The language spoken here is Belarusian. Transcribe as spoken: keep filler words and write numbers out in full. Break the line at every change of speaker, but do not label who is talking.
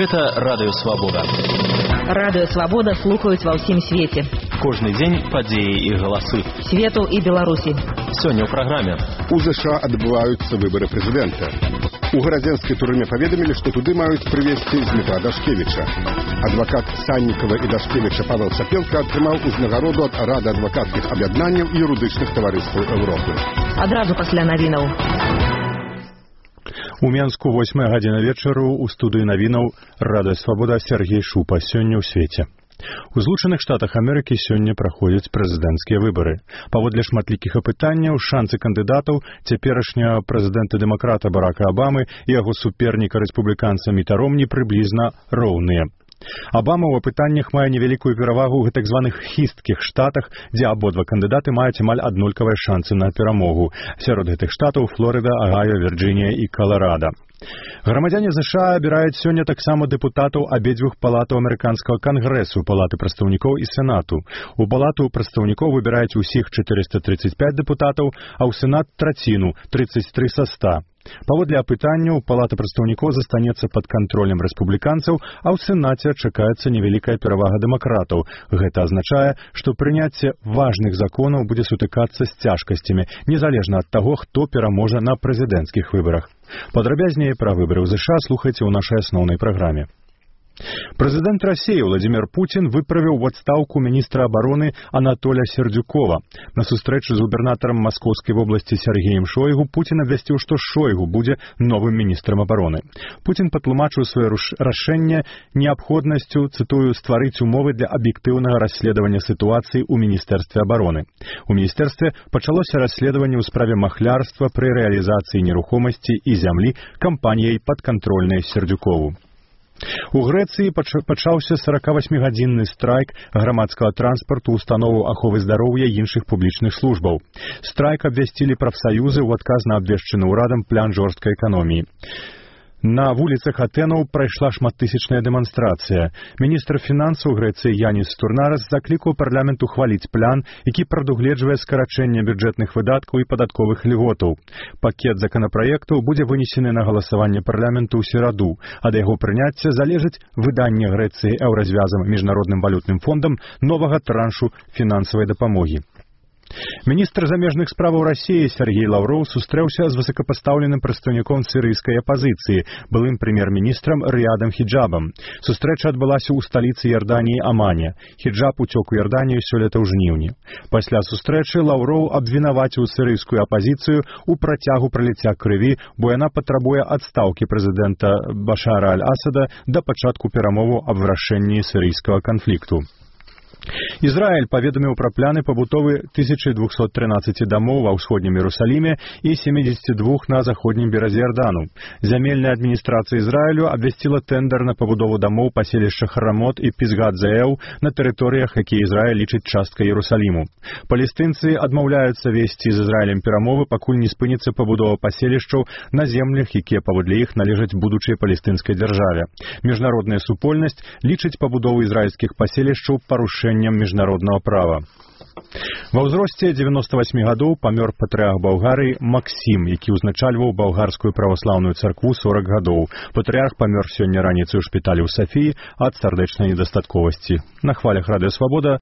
Гэта Радыё Свабода.
Радыё Свабода слухаюць ва ўсім свеце.
Кожны дзень падзеі і галасы.
Свету і Беларусі.
Сёння ў праграме.
У ЗША адбываюцца выбары прэзідэнта. У гарадзенскай турме паведамілі, што туды маюць прывезці Дмітра Дашкевіча. Адвакат Саннікава і Дашкевіча Павел Сапелка атрымаў узнагароду ад Рады адвакацкіх аб'яднанняў і юрыдычных таварыстваў Еўропы.
Адразу пасля навінаў.
У Менску восьмая гадзіна вечару у студыі навінаў Радыё Свабода Сергей Шупа. Сёння ў свеце. У Злучаных Штатах Амерыкі сёння праходзяць прэзідэнцкія выбары. Паводле шматлікіх апытанняў, шансы кандыдатаў цяперашняга прэзідэнта-дэмакрата Барака Абамы і яго суперніка рэспубліканца Міта Ромні прыблізна роўныя. Абама ў апытаннях мае невялікую перавагу ў так званых хісткіх штатах, дзе абодва кандыдаты маюць амаль аднолькавыя шансы на перамогу. Сярод гэтых штатаў Флорыда, Агайо, Вірджынія і Каларада. Грамадзяне ЗША абіраюць сёння таксама дэпутатаў абедзвюх палатаў амерыканскага кангрэсу, палаты прадстаўнікоў і сенату. У палату прадстаўнікоў выбіраюць усіх чатырыста трыццаць пяць дэпутатаў, а ў сенат траціну, трыццаць тры са ста. Паводле апытанняў, палата прадстаўнікоў застанецца пад кантролем рэспубліканцаў, а ў сенаце чакаецца невялікая перавага дэмакратаў. Гэта азначае, што прыняцце важных законаў будзе сутыкацца з цяжкасцямі, незалежна ад таго, хто пераможа на прэзідэнцкіх выбарах. Падрабязней пра выбары ў ЗША слухайце ў нашай асноўнай праграме. Прэзідэнт Расіі Владзімір Пуцін выправіў у адстаўку міністра абароны Анатоля Сердюкова. На сустрэчы з губернатарам Маскоўскай вобласці Сергеем Шойгу Пуцін абвясціў, што Шойгу будзе новым міністрам абароны. Пуцін патлумачыў сваё рашэнне неабходнасцю, цытую, стварыць умовы для аб'ектыўнага расследавання сітуацыі ў міністэрстве абароны. У міністэрстве пачалося расследаванне ў справе махлярства пры рэалізацыі нерухомасці і зямлі кампаніяй падкантрольнай Сердюкову. У Грэцыі пачаўся сорокавасьмігадзінны страйк грамадскага транспарту, установаў аховы здароўя і іншых публічных службаў. Страйк абвясцілі прафсаюзы ў адказ на абвешчаны ўрадам план жорсткай эканоміі. На вуліцах Атэнаў прайшла шматтысячная дэманстрацыя. Міністр фінансаў Грэцыі Янис Стурнарас заклікаў парламент ухваліць план, які прадугледжвае скарачэнне бюджэтных выдаткаў і падатковых льготаў. Пакет законапраектаў будзе вынесены на галасаванне парламенту ў сераду. Ад яго прыняцця залежыць выданне Грэцыі еўразвязам міжнародным валютным фондам новага траншу фінансавай дапамогі. Міністр замежных справаў Расіі Сергей Лаўроў сустрэўся з высокапастаўленым прадстаўніком сірыйскай апазіцыі, былым прэм'ер-міністрам Рыядам Хіджабам. Сустрэча адбылася ў сталіцы Ярданіі Амане. Хіджаб уцёк у Ярданію сёлета ў жніўні. Пасля сустрэчы Лаўроў абвінаваціў сірыйскую апазіцыю ў працягу праліцця крыві, бо яна патрабуе адстаўкі прэзідэнта Башара аль-Асада да пачатку перамоваў аб вырашэнні сірыйскага канфлікту. Ізраіль паведаміў пра пляны пабудовы тысяча двухсот трынаццаці дамоў ва ўсходнім Іерусаліме і семидесяти двух на заходнім беразе Ярдану. Зямельная адміністрацыя Ізраілю абвясціла тэндэр на пабудову дамоў паселішча Харамот і Пісгат-Зеэў на тэрыторыях, якія Ізраіль лічыць часткай Іерусаліму. Палестынцы адмаўляюцца весці з Ізраілем перамовы, пакуль не спыніцца пабудова паселішчаў на землях, якія паводле іх належаць будучай палестынскай дзяржаве. Міжнародная супольнасць лічыць пабудову ізраільскіх паселішчаў парушэннем міжнароднага права. Ва ўзросце дзевяноста васьмі гадоў памёр патрыарх Балгарыі Максім, які ўзначальваў балгарскую праваслаўную царкву сорок гадоў. Патрыарх памёр сёння раніцай у шпіталі ў Сафіі ад сардэчнай недастатковасці. На хвалях Радыё Свабода